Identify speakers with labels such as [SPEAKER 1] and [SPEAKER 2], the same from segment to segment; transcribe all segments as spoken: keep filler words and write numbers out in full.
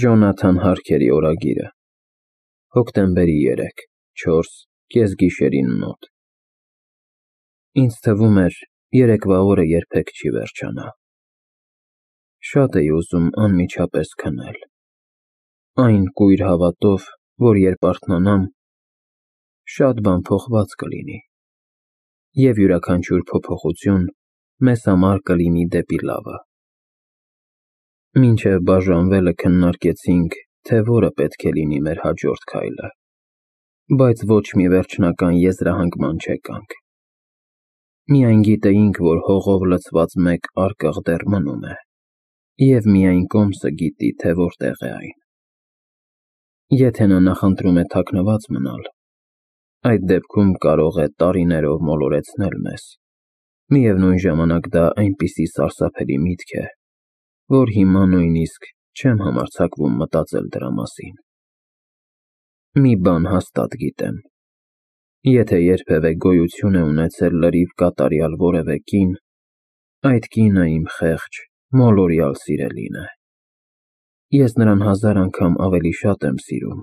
[SPEAKER 1] Ջոնաթան Հարքերի օրագիրը, հոկտեմբերի երեք, չորս, կեսգիշերին մոտ։ Ինձ թվում էր, երեկվա օրը երբեք չի վերջանա։ Շատ էի ուզում անմիջապես քնել, այն կույր հավատով, որ երբ արթնանամ, շատ բան փոխված կլինի, և յուրաքանչյուր փոփոխություն մեզ համար կլինի դեպի լավը։ Մինչև բաժանվելը քննարկեցինք, թե որը պետք է լինի մեր հաջորդ քայլը, բայց ոչ մի վերջնական եզրահանգման չեկանք։ Միայն գիտեինք, որ հողով լցված մեկ արկղ դեռ մնում է, և միայն կոմսը գիտի, թե որտեղ է այն։ Եթե նա նախընտրում է թաքնված մնալ, այդ դեպքում կարող է տարիներով մոլորեցնել մեզ, միևնույն ժամանակ դա այնպիսի սարսափելի միտք է, որ հիմա նույնիսկ չեմ համարձակվում մտածել դրա մասին։ Մի բան հաստատ գիտեմ. եթե երբևէ գոյություն է ունեցել լրիվ կատարյալ որևէ կին, այդ կինը իմ խեղճ, մոլորյալ սիրելին է։ Ես նրան հազար անգամ ավելի շատ եմ սիրում,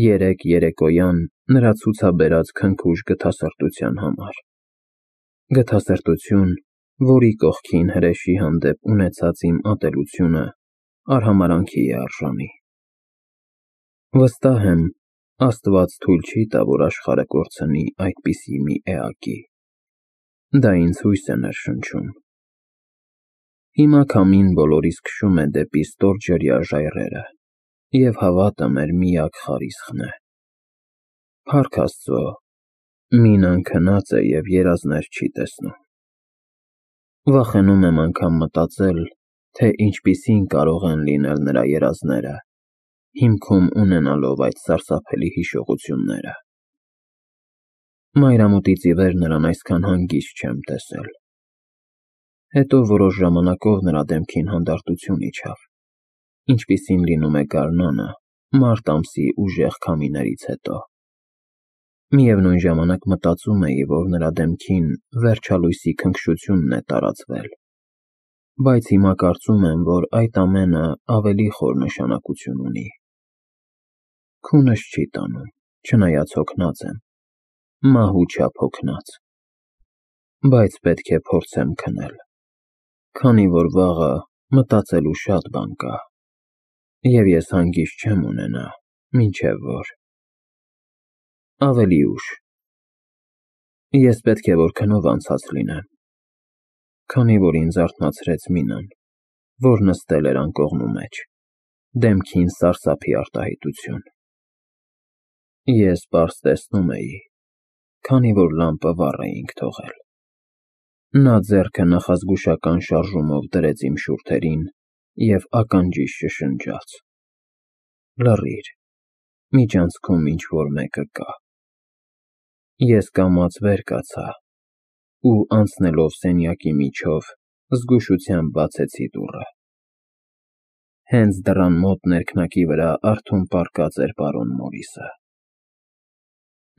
[SPEAKER 1] երեկ երեկոյան նրա ցուցաբերած քնքուշ գթասրտության համար, գթասրտություն, որի կողքին հրեշի հանդեպ ունեցած իմ ատելությունը արհամարհանքի է արժանի։ Վստահ եմ, Աստված թույլ չի տա, որ աշխարհը կորցնի այդպիսի մի էակի։ Դա ինձ հույս է ներշնչում։ Հիմա քամին բոլորիս քշում է դեպի ստորջրյա ժայռերը, և հավատը մեր միակ խարիսխն է։ Փառք Աստծո, մինան քնած է և երազներ չի տեսնում։ Վախենում եմ անգամ մտածել, թե ինչպիսին կարող են լինել նրա երազները, հիմքում ունենալով այդ սարսափելի հիշողությունները։ Մայրամուտից ի վեր նրան այսքան հանգիստ չեմ տեսել։ Հետո որոշ ժամանակով նրա դեմքին հանդարտություն իջավ, ինչպիսին լինում է գարնանը, մարտ ամսի ուժեղ քամիներից հետո։ Միևնույն ժամանակ մտածում էի, որ նրա դեմքին վերջալույսի քնքշությունն է տարածվել, բայց հիմա կարծում եմ, որ այդ ամենը ավելի խոր նշանակություն ունի։ Քունս չի տանում, չնայած հոգնած եմ, մահու չափ հոգնած, բայց պետք է փորձեմ քնել, քանի որ վաղը մտածելու շատ բան կա, և ես հանգիստ չեմ ունենա, մինչև որ… Ավելի ուշ։ Ես պետք է որ քնով անցած լինեմ, քանի որ ինձ արթնացրեց Մինան, որ նստել էր անկողնու մեջ, դեմքին սարսափի արտահայտություն։ Ես պարզ տեսնում էի, քանի որ լամպը վառ էինք թողել։ Նա ձեռքը նախազգուշական շարժումով դրեց իմ շուրթերին և ականջիս շշնջաց. «Լռիր, միջանցքում ինչ֊որ մեկը կա»։ Ես կամաց վեր կացա ու, անցնելով սենյակի միջով, զգուշությամբ բացեցի դուռը։ Հենց դռան մոտ ներքնակի վրա արթուն պառկած էր պարոն Մորիսը։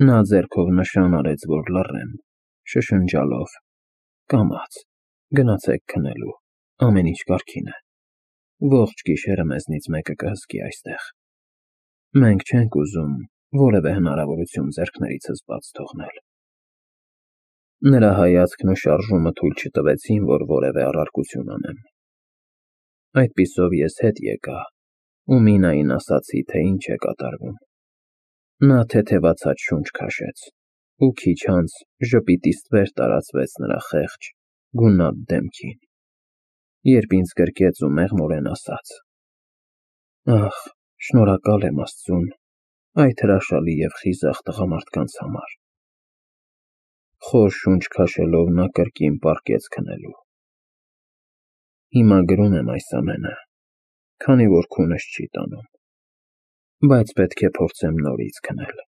[SPEAKER 1] Նա ձեռքով նշան արեց, որ լռեմ, շշնջալով. «Կամաց, գնացեք քնելու, ամեն ինչ կարգին է, ողջ գիշերը մեզնից մեկը կհսկի այստեղ։ Մենք չենք ուզում որևէ հնարավորություն ձեռքներիցս բաց թողնել»։ Նրա հայացքն ու շարժումը թույլ չտվեցին, որ որևէ առարկություն անեմ։ Այդպիսով ես հետ եկա ու Մինային ասացի, թե ինչ է կատարվում։ Նա թեթևացած շունչ քաշեց, ու քիչ անց ժպիտի ստվեր տարածվեց նրա խեղճ, գունատ դեմքին, երբ ինձ գրկեց ու մեղմորեն ասաց. «Ախ, շնորհակալ եմ Աստծուն այդ հրաշալի և խիզախ տղամարդկանց համար»։ Խոր շունչ քաշելով նա կրկին պառկեց քնելու։ Հիմա գրում եմ այս ամենը, քանի որ քունս չի տանում, բայց պետք է փորձեմ նորից քնել։